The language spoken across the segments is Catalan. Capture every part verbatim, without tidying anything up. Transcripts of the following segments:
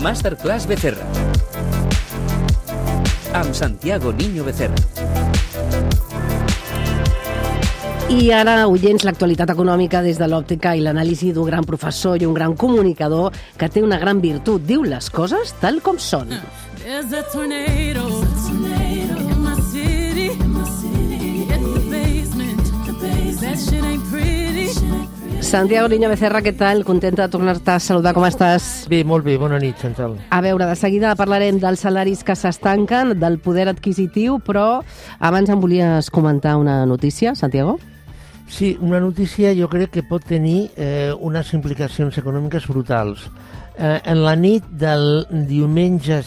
Masterclass Becerra. Amb Santiago Niño Becerra. I ara, oients, l'actualitat econòmica des de l'òptica i l'anàlisi d'un gran professor i un gran comunicador que té una gran virtut. Diu les coses tal com són. Santiago Niño Becerra, què tal? Contenta de tornar-te a saludar. Com estàs? Bé, molt bé. Bona nit, Chantal. A veure, de seguida parlarem dels salaris que s'estanquen, del poder adquisitiu, però abans em volies comentar una notícia, Santiago? Sí, una notícia jo crec que pot tenir eh, unes implicacions econòmiques brutals. Eh, en la nit del diumenge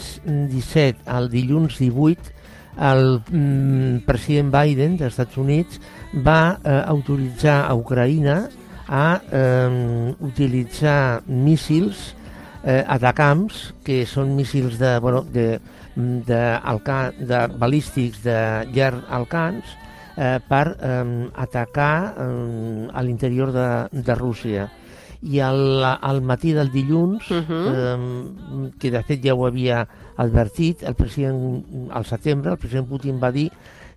disset al dilluns divuit, el mm, president Biden dels Estats Units va eh, autoritzar a Ucraïna a eh, utilitzar míssils eh, atacams, que són míssils de, bueno, de, de, alca, de balístics de llarg alcance, eh, per eh, atacar eh, a l'interior de, de Rússia. I al, al matí del dilluns, uh-huh. eh, que de fet ja ho havia advertit, el president, al setembre, el president Putin va dir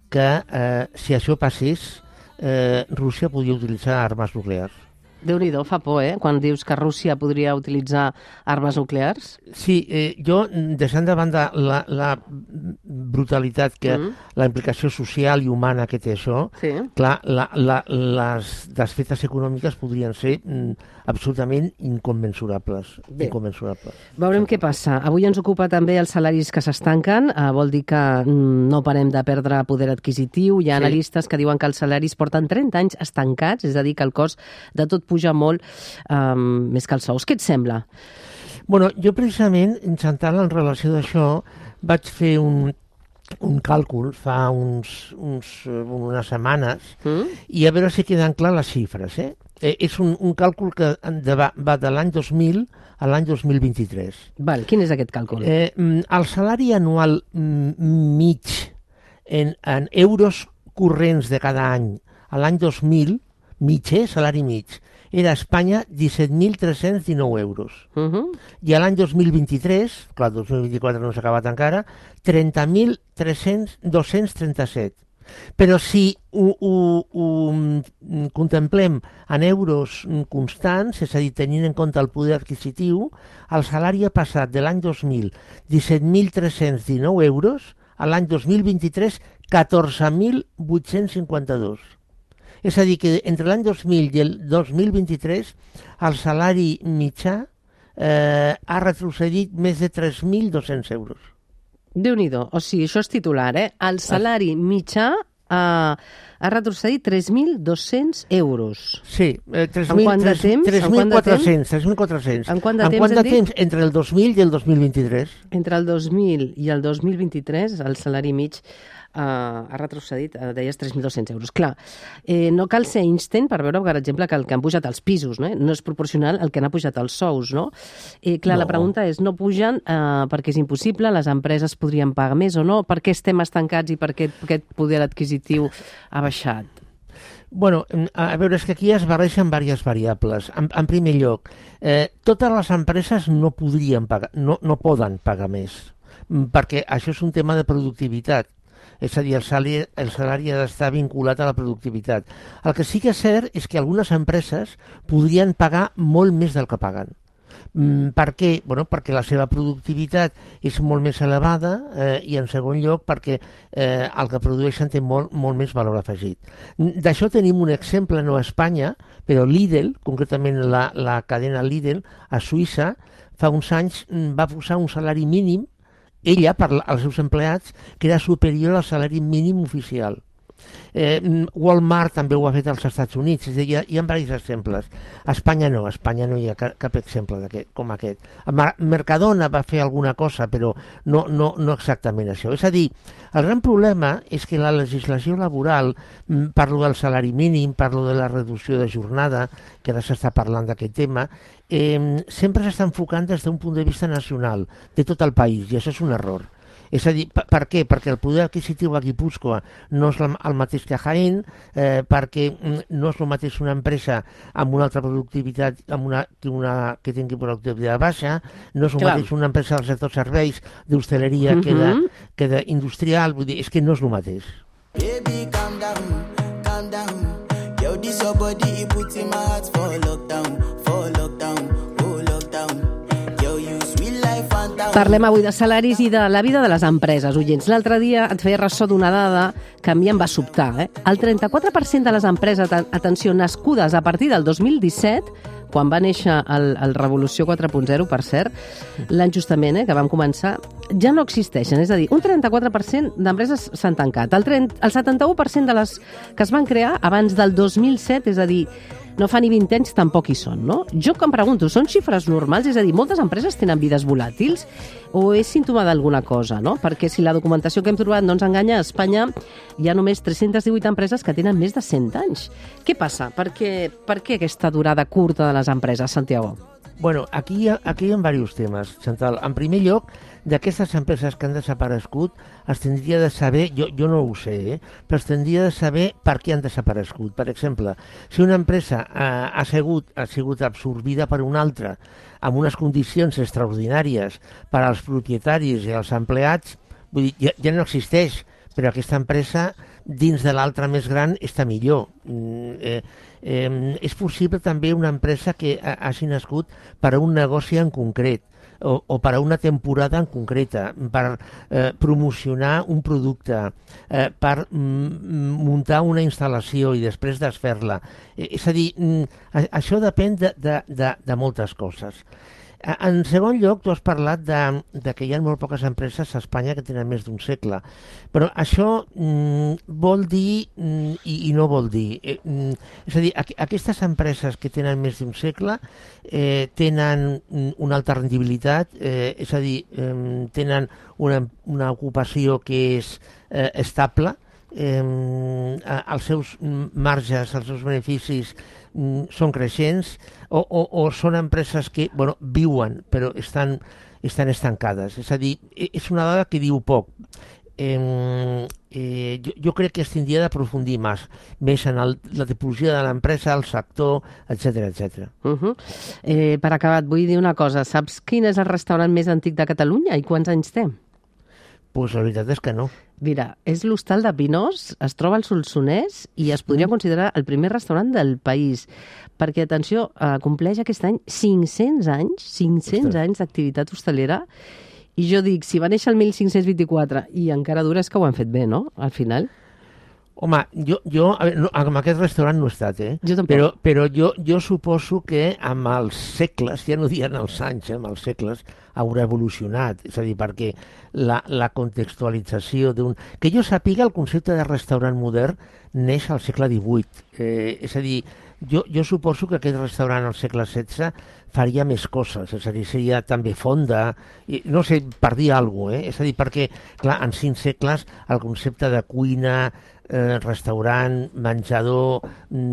que eh, si això passés, eh, Rússia podia utilitzar armes nuclears. Déu-n'hi-do, fa por, eh?, quan dius que Rússia podria utilitzar armes nuclears. Sí, eh, jo, deixant de banda la, la brutalitat, que mm. la implicació social i humana que té això, sí. clar, la, la, les desfetes econòmiques podrien ser mm, absolutament incommensurables. Bé, incommensurables. Veurem què passa. Avui ens ocupa també els salaris que s'estanquen, eh, vol dir que mm, no parem de perdre poder adquisitiu. Hi ha sí. analistes que diuen que els salaris porten trenta anys estancats, és a dir, que el cost de tot puja molt, um, més que els sous. Què et sembla? Bueno, jo precisament, Chantal, en relació d'això, vaig fer un, un càlcul fa uns, uns, unes setmanes mm? i a veure si queden clar les xifres. Eh? Eh, és un, un càlcul que de, va, va de l'any dos mil a l'any dos mil vint-i-tres. Val, quin és aquest càlcul? Eh, el salari anual mig en, en euros corrents de cada any a l'any dos mil, mig, eh, salari mig, era a Espanya disset mil tres-cents dinou euros. Uh-huh. I a l'any dos mil vint-i-tres, clar, dos mil vint-i-quatre no s'ha acabat encara, trenta mil dos-cents trenta-set. Però si ho, ho, ho contemplem en euros constants, és a dir, tenint en compte el poder adquisitiu, el salari ha passat de l'any dos mil disset mil tres-cents dinou euros a l'any dos mil vint-i-tres catorze mil vuit-cents cinquanta-dos. És a dir, que entre l'any dos mil i el dos mil vint-i-tres el salari mitjà eh, ha retrocedit més de tres mil dos-cents euros. Déu-n'hi-do, o sigui, això és titular, eh? El salari mitjà eh, ha retrocedit tres mil dos-cents euros. Sí, eh, tres mil quatre-cents. tres mil quatre-cents. En quant de temps, en quant de temps? Entre el dos mil i el dos mil vint-i-tres. Entre el dos mil i el dos mil vint-i-tres el salari mig Uh, ha retrocedit, uh, deies, tres mil dos-cents euros. Clar, eh, no cal ser Einstein per veure, per exemple, que el que han pujat els pisos, no, no és proporcional al que han pujat els sous, no? Eh, clar, no. La pregunta és, no pugen uh, perquè és impossible, les empreses podrien pagar més o no? Per què estem estancats i per què aquest poder adquisitiu ha baixat? Bueno, a veure, és que aquí es barreixen diverses variables. En, en primer lloc, eh, totes les empreses no podrien pagar, no, no poden pagar més, perquè això és un tema de productivitat. És a dir, el salari, el salari ha d'estar vinculat a la productivitat. El que sí que és cert és que algunes empreses podrien pagar molt més del que paguen. Mm, per què? Bueno, perquè la seva productivitat és molt més elevada eh, i, en segon lloc, perquè eh, el que produeixen té molt, molt més valor afegit. D'això tenim un exemple, no a Espanya, però Lidl, concretament la, la cadena Lidl, a Suïssa, fa uns anys va posar un salari mínim ella, per als seus empleats, que era superior al salari mínim oficial. Eh, Walmart també ho ha fet als Estats Units, és a dir, hi ha, hi ha diversos exemples. A Espanya no, a Espanya no hi ha cap, cap exemple com aquest. Mercadona va fer alguna cosa, però no, no, no exactament això. És a dir, el gran problema és que la legislació laboral, parlo del salari mínim, parlo de la reducció de jornada, que ara s'està parlant d'aquest tema, eh, sempre s'està enfocant des d'un punt de vista nacional, de tot el país, i això és un error. És a dir, per, per què? Perquè el poder adquisitiu a Guipúscoa no és el mateix que a Jaén, eh, perquè no és el mateix una empresa amb una altra productivitat amb una, que, una, que tingui productivitat baixa, no és el Clar. mateix una empresa del sector serveis, d'hostaleria, uh-huh. que, de, que d'industrial, vull dir, és que no és el mateix. Baby, calm down, calm down. Yo, this your body, it puts in my heart for lockdown, for lockdown, oh lockdown. Yo, you sweet life and down. Parlem avui de salaris i de la vida de les empreses, oients. L'altre dia et feia ressò d'una dada que a mi em va sobtar. Eh? El trenta-quatre per cent de les empreses, atenció, nascudes a partir del dos mil disset, quan va néixer el, el Revolució quatre punt zero, per cert, l'any justament, eh, que vam començar, ja no existeixen. És a dir, un trenta-quatre per cent d'empreses s'han tancat. El, trenta, el setanta-u per cent de les que es van crear abans del dos mil set, és a dir, no fa ni vint anys, tampoc hi són, no? Jo que em pregunto, són xifres normals? És a dir, moltes empreses tenen vides volàtils o és símptoma d'alguna cosa, no? Perquè si la documentació que hem trobat no ens enganya, a Espanya hi ha només tres-centes divuit empreses que tenen més de cent anys. Què passa? Per què, per què aquesta durada curta de les empreses, Santiago? Bueno, aquí hi ha, aquí hi ha diversos temes, Chantal. En primer lloc, d'aquestes empreses que han desaparegut, es tindria de saber, jo, jo no ho sé, eh, però es tindria de saber per què han desaparegut. Per exemple, si una empresa eh, ha, sigut, ha sigut absorbida per una altra amb unes condicions extraordinàries per als propietaris i als empleats, vull dir, ja, ja no existeix, però aquesta empresa dins de l'altra més gran està millor. Mm, eh, eh, és possible també una empresa que ha, hagi nascut per a un negoci en concret, o, o per a una temporada en concreta, per eh, promocionar un producte, eh, per mm, muntar una instal·lació i després desfer-la. Eh, és a dir, mm, això depèn de, de, de, de moltes coses. En segon lloc, tu has parlat de, de que hi ha molt poques empreses a Espanya que tenen més d'un segle, però això mm, vol dir mm, i, i no vol dir. Eh, mm, és a dir, aqu aquestes empreses que tenen més d'un segle eh, tenen una alta rendibilitat, eh, és a dir, eh, tenen una, una ocupació que és eh, estable, eh, els seus marges, els seus beneficis són creixents, o, o, o són empreses que bueno, viuen però estan, estan estancades. És a dir, és una dada que diu poc. Eh, eh, jo, jo crec que es tindria d'aprofundir més, més en el, la tipologia de l'empresa, el sector, etcètera, etcètera. Uh -huh. eh, per acabar, et vull dir una cosa. Saps quin és el restaurant més antic de Catalunya i quants anys té? Pues la veritat és que no. Mira, és l'Hostal de Pinós, es troba al Solsonès i es podria considerar el primer restaurant del país, perquè, atenció, eh, compleix aquest any cinc-cents anys, cinc-cents Ostres. anys d'activitat hostalera, i jo dic, si va néixer el mil cinc-cents vint-i-quatre i encara dura, és que ho han fet bé, no?, al final. Home, jo, jo a veure, no, amb aquest restaurant no he estat, eh? Jo tampoc. Però, però jo, jo suposo que amb els segles, ja no dient els anys, eh, amb els segles, haurà evolucionat. És a dir, perquè la, la contextualització d'un... Que jo sàpiga, el concepte de restaurant modern neix al segle divuit. Eh, és a dir, jo, jo suposo que aquest restaurant al segle setze faria més coses, és a dir, seria també fonda, i, no sé, per dir alguna cosa, eh? És a dir, perquè, clar, en cinc segles el concepte de cuina, eh, restaurant, menjador,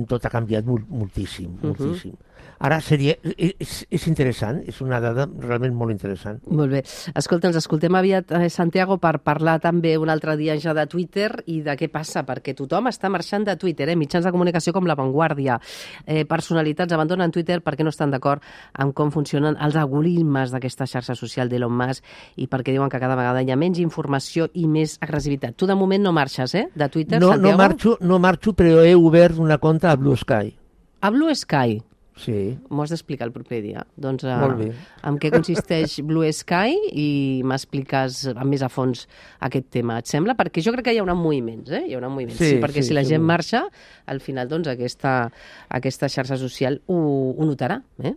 tot ha canviat molt, moltíssim, moltíssim. Uh-huh. Ara seria, és, és interessant, és una dada realment molt interessant. Molt bé. Escolta, ens escoltem aviat, eh, Santiago, per parlar també un altre dia ja de Twitter i de què passa, perquè tothom està marxant de Twitter, eh? Mitjans de comunicació com La Vanguardia, eh, personalitats abandonen Twitter perquè no estan d'acord amb com funcionen els algoritmes d'aquesta xarxa social d'Elon Musk i perquè diuen que cada vegada hi ha menys informació i més agressivitat. Tu de moment no marxes, eh, de Twitter, no, Santiago? No marxo, no marxo, però he obert una compte a Blue Sky. A Blue Sky? Sí. M'ho has d'explicar el proper dia. Doncs, uh, Molt bé. En què consisteix Blue Sky i m'expliques més a fons aquest tema, et sembla? Perquè jo crec que hi haurà moviments, eh? Hi haurà moviments, sí, sí, perquè sí, si la gent segur. marxa, al final, doncs, aquesta, aquesta xarxa social ho, ho notarà, eh?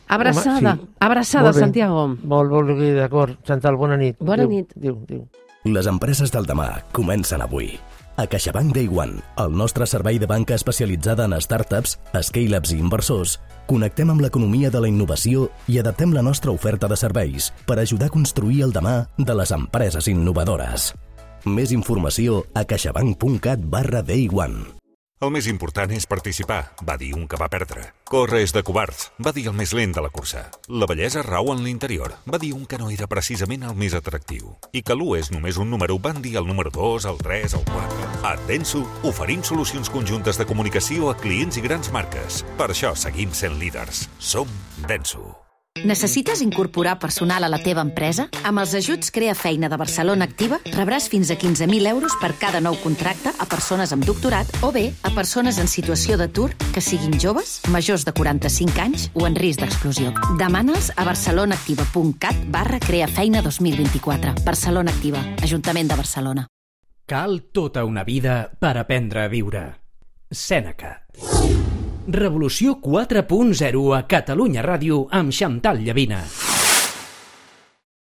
Abraçada, Home, sí. abraçada, Santiago. Molt, molt bé, d'acord. Chantal, bona nit. Bona Adéu. nit. Adéu, adéu. Les empreses del demà comencen avui. A CaixaBank Day One, el nostre servei de banca especialitzada en startups, scale-ups i inversors, connectem amb l'economia de la innovació i adaptem la nostra oferta de serveis per ajudar a construir el demà de les empreses innovadores. Més informació a caixabank punt cat barra day one. El més important és participar, va dir un que va perdre. Córrer és de covards, va dir el més lent de la cursa. La bellesa rau en l'interior, va dir un que no era precisament el més atractiu. I que l'u és només un número, van dir el número dos, el tres, el quatre. A Denso oferim solucions conjuntes de comunicació a clients i grans marques. Per això seguim sent líders. Som Denso. Necessites incorporar personal a la teva empresa? Amb els ajuts Crea Feina de Barcelona Activa rebràs fins a quinze mil euros per cada nou contracte a persones amb doctorat o bé a persones en situació d'atur que siguin joves, majors de quaranta-cinc anys o en risc d'exclusió. Demana'ls a barcelonaactiva.cat barra creafeina dos mil vint-i-quatre. Barcelona Activa, Ajuntament de Barcelona. Cal tota una vida per aprendre a viure. Sèneca. Revolució quatre punt zero a Catalunya Ràdio amb Xantal Llavina.